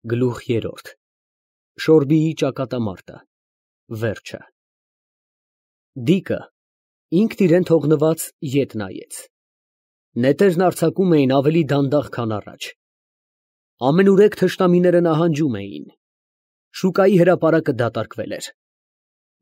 Գլուխ երրորդ Շորբիի ճակատամարտը Վերջը Դիկը ինքն իրեն թողնված ետ նայեց։ Նետերն արձակում էին ավելի դանդաղ, քան առաջ։ Ամենուրեք թշնամիները նահանջում էին։ Շուկայի հրապարակը դատարկվել էր։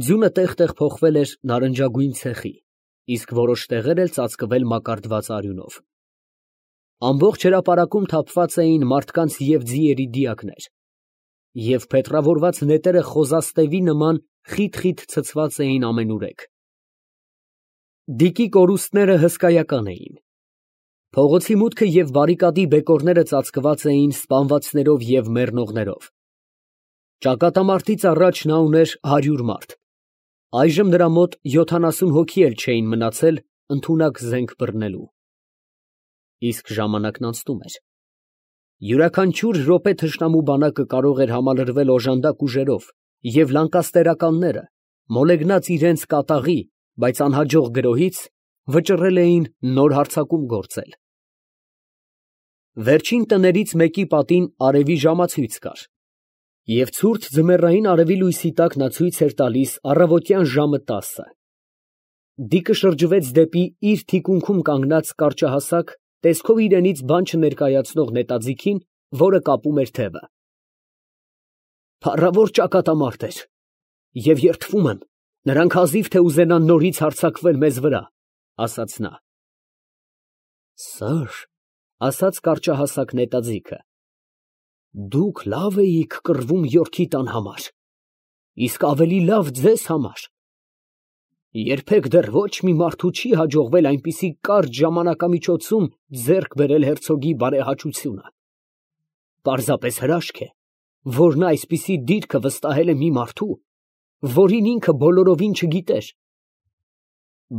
Ձյունը տեղ֊տեղ փոխվել էր նարնջագույն ցեխի, իսկ որոշ տեղեր էլ ծածկվել մակարդված արյունով։ Ամբողջ հրապարակում թափված էին մարդկանց և ձիերի դիակներ, և փետրավորված նետերը խոզաստևի նման խիտ ցցված էին ամենուրեք։ Դիկի կորուստները հսկայական էին։ Փողոցի մուտքը և բարիկադի բեկորները ծածկված էին սպանվածներով և մեռնողներով։ Ճակատամարտից առաջ նա ուներ 100 մարդ, այժմ նրա մոտ 70 հոգի էլ չէին մնացել ընդունակ զենք բռնելու։ Իսկ ժամանակն անցնում էր։ Յուրաքանչյուր րոպե թշնամու բանակը կարող էր համալրվել օժանդակ ուժերով, և լանկաստերականները, մոլեգնած իրենց կատաղի, բայց անհաջող գրոհից, վճռել էին նոր հարձակում գործել։ Վերջին տներից մեկի պատին արևի ժամացույց կար, և ցուրտ ձմեռային արևի լույսի տակ նա ցույց էր տալիս առավոտյան ժամը 10-ը։ Դիկը շրջվեց դեպի իր թիկունքում կանգնած կարճահասակ, տեսքով իրենից բան չներկայացնող նետաձիգին, որը կապում էր թևը։ Փառավոր ճակատամարտ էր, և երդվում եմ, նրանք հազիվ թե ուզենան նորից հարձակվել մեզ վրա, ասաց նա։ Սըր, ասաց կարճահասակ նետաձիգը, դուք լավ էիք կռվում Յորքի տան համար, իսկ ավելի լավ ձեզ համար։ Երբեք դեռ ոչ մի մարդու չի հաջողվել այնպիսի կարճ ժամանակամիջոցում ձեռք բերել հերցոգի բարեհաճությունը։ Պարզապես հրաշք է, որ նա այսպիսի դիրքը վստահել է մի մարդու, որին ինքը բոլորովին չգիտեր։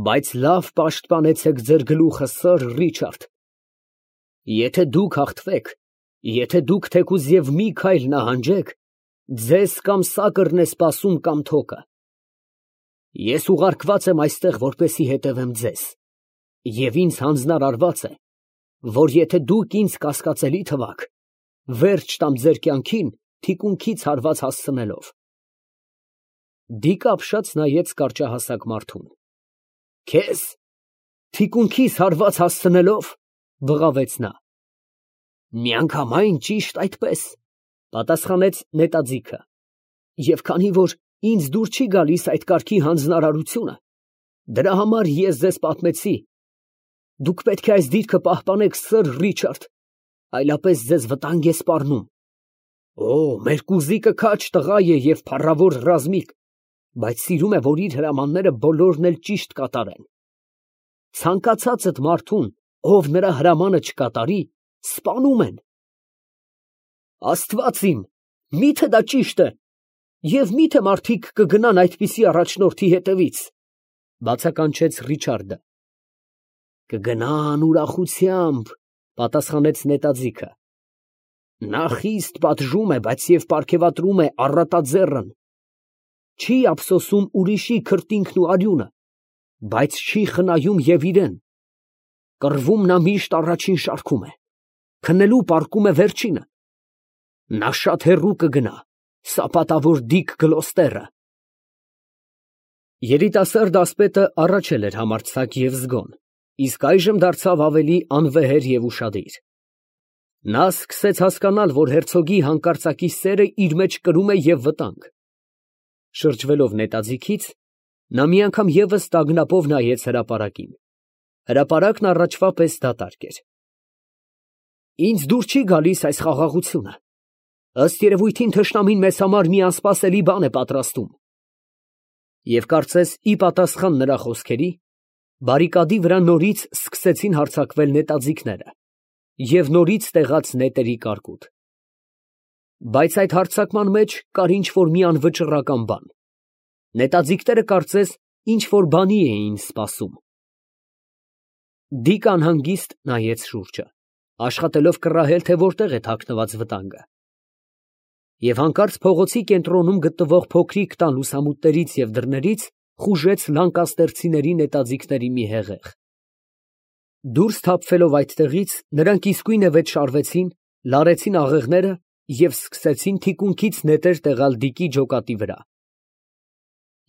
Բայց լավ պաշտպանեցեք ձեր գլուխը, սըր Ռիչարդ։ Եթե դուք հաղթվեք, եթե դուք թեկուզ և մի քայլ նահանջեք, ձեզ կամ սակրն է սպասում, կամ թոկը։ Ես ուղարկված եմ այստեղ, որպեսզի հետևեմ ձեզ, և ինձ հանձնարարված է, որ եթե դուք ինձ կասկածելի թվաք, վերջ տամ ձեր կյանքին թիկունքից հարված հասցնելով։ Դիկը ապշած նայեց կարճահասակ մարդուն։ Քեզ թիկունքիս հարված հասցնելով, բղավեց նա։ Միանգամայն ճիշտ այդպես, պատասխանեց նետաձիգը, և քանի որ ինձ դուր չի գալիս այդ կարգի հանձնարարությունը, դրա համար ես ձեզ պատմեցի։ Դուք պետք է այս դիրքը պահպանեք, սըր Ռիչարդ, այլապես ձեզ վտանգ է սպառնում։ Օ, մեր կուզիկը քաջ տղա է և փառավոր ռազմիկ, բայց սիրում է, որ իր հրամանները բոլորն էլ ճիշտ կատարեն։ Ցանկացածդ մարդուն, ով նրա հրամանը չկատարի, սպանում են։ Աստված իմ, միթե դա ճիշտ է, և միթե մարդիկ կգնան այդպիսի առաջնորդի հետևից, բացականչեց Ռիչարդը։ Կգնան ուրախությամբ, պատասխանեց նետաձիգը։ Նա խիստ պատժում է, բայց և պարգևատրում է առատաձեռն։ Չի ափսոսում ուրիշի քրտինքն ու արյունը, բայց չի խնայում և իրեն։ Կռվում նա միշտ առաջին շարքում է, քնելու պառկում է վերջինը։ Նա շատ հեռու կգնա, սապատավոր Դիկ Գլոստերը։ Երիտասարդ ասպետը առաջ էր համարձակ և զգոն, իսկ այժմ դարձավ ավելի անվեհեր և ուշադիր։ Նա սկսեց հասկանալ, որ հերցոգի հանկարծակի սերը իր մեջ կրում է և վտանգ։ Շրջվելով նետաձիգից, նա մի անգամ ևս տագնապով նայեց հրապարակին։ Հրապարակն առաջվա պես դատարկ էր։ Ինձ դուր չի գալիս այս խաղաղությունը։ Ըստ երևույթին թշնամին մեզ համար մի անսպասելի բան է պատրաստում։ Եվ կարծես ի պատասխան նրա խոսքերի, բարիկադի վրա նորից սկսեցին հարձակվել նետաձիգները և նորից տեղաց նետերի կարկուտ։ Բայց այդ հարձակման մեջ կար ինչ֊որ մի անվճռական բան։ Նետաձիգները կարծես ինչ֊որ բանի էին սպասում։ Դիկը անհանգիստ նայեց շուրջը, աշխատելով կռահել, թե որտեղ է թաքնված վտանգը։ Եվ հանկարծ փողոցի կենտրոնում գտնվող փոքրիկ տան լուսամուտներից և դռներից խուժեց լանկաստերցիների նետաձիգների մի հեղեղ։ Դուրս թափվելով այդտեղից, նրանք իսկույնևեթ շարվեցին, լարեցին աղեղները և սկսեցին թիկունքից նետեր տեղալ դիկի ջոկատի վրա։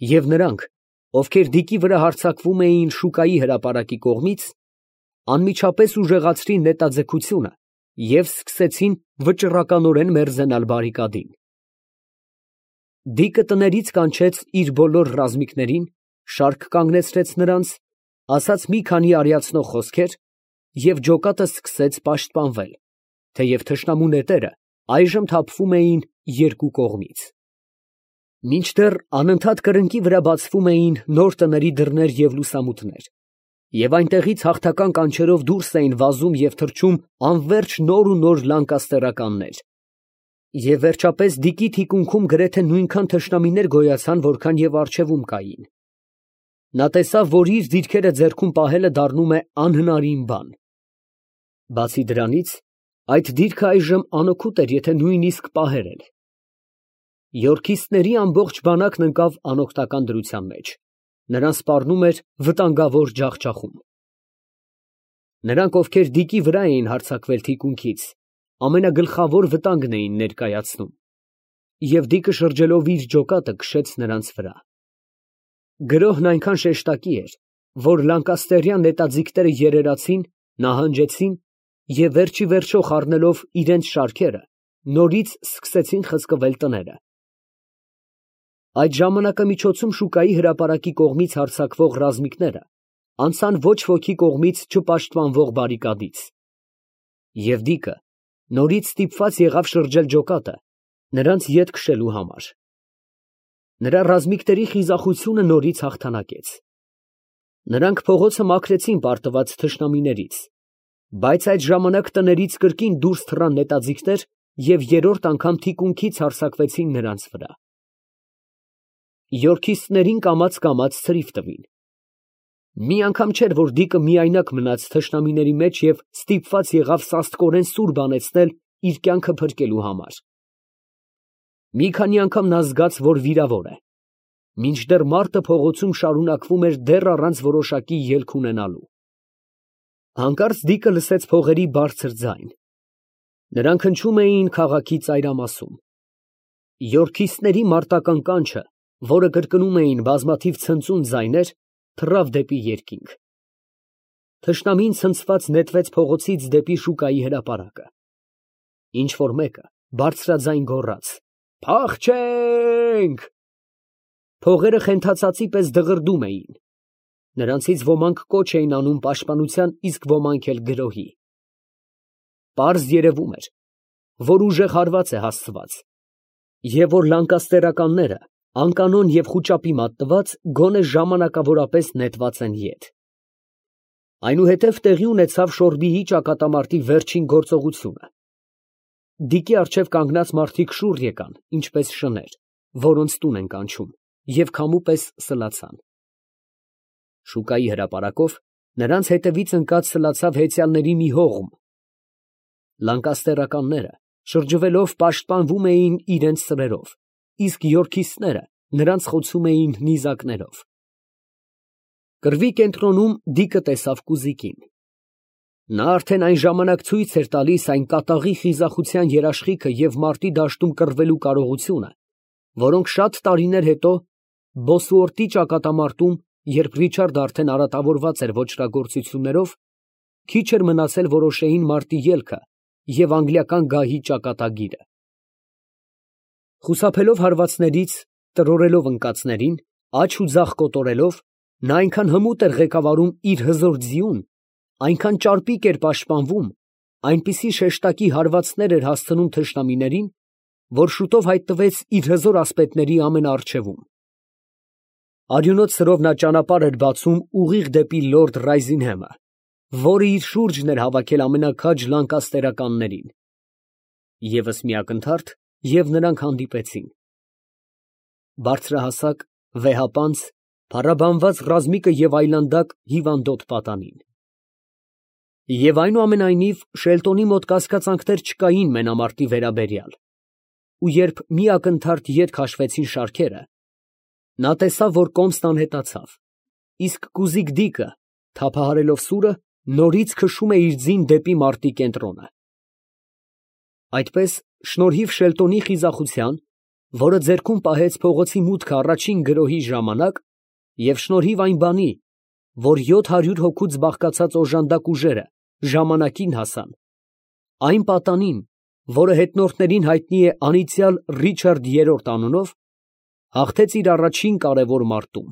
Եվ նրանք, ովքեր դիկի վրա հարձակվում էին շուկայի հրապարակի կողմից, անմիջապես ուժեղացրին նետաձգությունը և սկսեցին վճռականորեն մերձենալ բարիկադին։ Դիկը տներից կանչեց իր բոլոր ռազմիկներին, շարք կանգնեցրեց նրանց, ասաց մի քանի արիացնող խոսքեր և ջոկատը սկսեց պաշտպանվել, թեև թշնամու նետերը այժմ թափվում էին երկու կողմից։ Մինչդեռ անընդհատ կրկնակի վրա բացվում էին նոր տների դռներ և լուսամուտներ, և այնտեղից հաղթական կանչերով դուրս էին վազում և թռչում անվերջ նոր ու նոր լանկաստերականներ։ Եվ վերջապես դիկի թիկունքում գրեթե նույնքան թշնամիներ գոյացան, որքան և առջևում կային։ Նա տեսավ, որ իր դիրքերը ձեռքում պահելը դառնում է անհնարին բան։ Բացի դրանից, այդ դիրքը այժմ անօգուտ էր, եթե նույնիսկ պահեր էլ։ Եորքիստների ամբողջ բանակն ընկավ անօգնական դրության մեջ, նրան սպառնում էր վտանգավոր ջախջախում։ Նրանք, ովքեր դիկի վրա էին հարձակվել թիկունքից, ամենագլխավոր վտանգն էին ներկայացնում, և դիկը շրջելով իր ջոկատը քշեց նրանց վրա։ Գրոհն այնքան շեշտակի էր, որ լանկաստերյան նետաձիգները երերացին, նահանջեցին և վերջ ի վերջո խառնելով իրենց շարքերը, նորից սկսեցին խցկվել տները։ Այդ ժամանակամիջոցում շուկայի հրապարակի կողմից հարձակվող ռազմիկները անցան ոչ ոքի կողմից չպաշտպանվող բարիկադից, և դիկը նորից ստիպված եղավ շրջել ջոկատը նրանց ետ քշելու համար։ Նրա ռազմիկների խիզախությունը նորից հաղթանակեց։ Նրանք փողոցը մաքրեցին պարտված թշնամիներից, բայց այդ ժամանակ տներից կրկին դուրս թռան նետաձիգներ և երրորդ անգամ թիկունքից հարձակվեցին նրանց վրա։ Եորքիստներին կամաց ցրիվ տվին։ Մի անգամ չէր, որ դիկը միայնակ մնաց թշնամիների մեջ և ստիպված եղավ սաստկորեն սուր բանեցնել իր կյանքը փրկելու համար։ Մի քանի անգամ նա զգաց, որ վիրավոր է, մինչդեռ մարտը փողոցում շարունակվում էր դեռ առանց որոշակի ելք ունենալու։ Հանկարծ դիկը լսեց փողերի բարձր ձայն։ Նրանք հնչում էին քաղաքի ծայրամասում։ Եորքիստների մարտական կանչը, որը կրկնում էին բազմաթիվ ցնծուն ձայներ, թռավ դեպի երկինք։ Թշնամին ցնցված նետվեց փողոցից դեպի շուկայի հրապարակը։ Ինչ֊որ մեկը բարձրաձայն գոռաց. «Փախչե՛նք»։ Փողերը խենթածածի պես դղրդում էին։ Նրանցից ոմանք կոչ էին անում պաշտպանության, իսկ ոմանք էլ գրոհի։ Պարզ երևում էր, որ ուժեղ հարված է հասցված, և որ լանկաստերականները, անկանոն և խուճապի մատնված, գոնե ժամանակավորապես նետված են ետ։ Այնուհետև տեղի ունեցավ Շորբիի ճակատամարտի վերջին գործողությունը։ Դիկի առջև կանգնած մարդիկ շուռ եկան, ինչպես շներ, որոնց տուն են կանչում, և քամու պես սլացան։ Շուկայի հրապարակով նրանց հետևից ընկած սլացավ հեծյալների մի հողմ։ Լանկաստերականները շրջվելով պաշտպանվում էին իրենց սրերով, իսկ եորքիստները նրանց խոցում էին նիզակներով։ Կռվի կենտրոնում դիկը տեսավ կուզիկին։ Նա արդեն այն ժամանակ ցույց էր տալիս այն կատաղի խիզախության երաշխիքը և մարտի դաշտում կռվելու կարողությունը, որոնք շատ տարիներ հետո Բոսուորտի ճակատամարտում, երբ Ռիչարդը արդեն արատավորված էր ոճրագործություններով, քիչ էր մնացել որոշեին մարտի ելքը և անգլիական գահի ճակատագիրը։ Խուսափելով հարվածներից, տրորելով ընկածներին, աջ ու ձախ կոտորելով, նա այնքան հմուտ էր ղեկավարում իր հզոր ձիուն, այնքան ճարպիկ էր պաշտպանվում, այնպիսի շեշտակի հարվածներ էր հասցնում թշնամիներին, որ շուտով հայտնվեց իր հզոր ասպետների ամենաառջևում։ Արյունոտ սրով նա ճանապարհ էր բացում ուղիղ դեպի լորդ Ռայզինհեմը, որը իր շուրջն էր հավաքել ամենաքաջ լանկաստերականներին։ Եվս մի ակնթարթ, և նրանք հանդիպեցին։ Բարձրահասակ, վեհապանծ, փառաբանված ռազմիկը և այլանդակ հիվանդոտ պատանին։ Եվ այնուամենայնիվ Շելտոնի մոտ կասկածանքներ չկային մենամարտի վերաբերյալ, ու երբ մի ակնթարթ ետ քաշվեցին շարքերը, նա տեսավ, որ կոմսն անհետացավ, իսկ կուզիկ դիկը, թափահարելով սուրը, նորից քշում է իր ձին դեպի մարտի կենտրոնը։ Այդպես, շնորհիվ Շելտոնի խիզախության, որը ձեռքում պահեց փողոցի մուտքը առաջին գրոհի ժամանակ, և շնորհիվ այն բանի, որ 700 հոգուց բաղկացած օժանդակ ուժերը ժամանակին հասան, այն պատանին, որը հետնորդներին հայտնի է անիծյալ Ռիչարդ III անունով, հաղթեց իր առաջին կարևոր մարտում։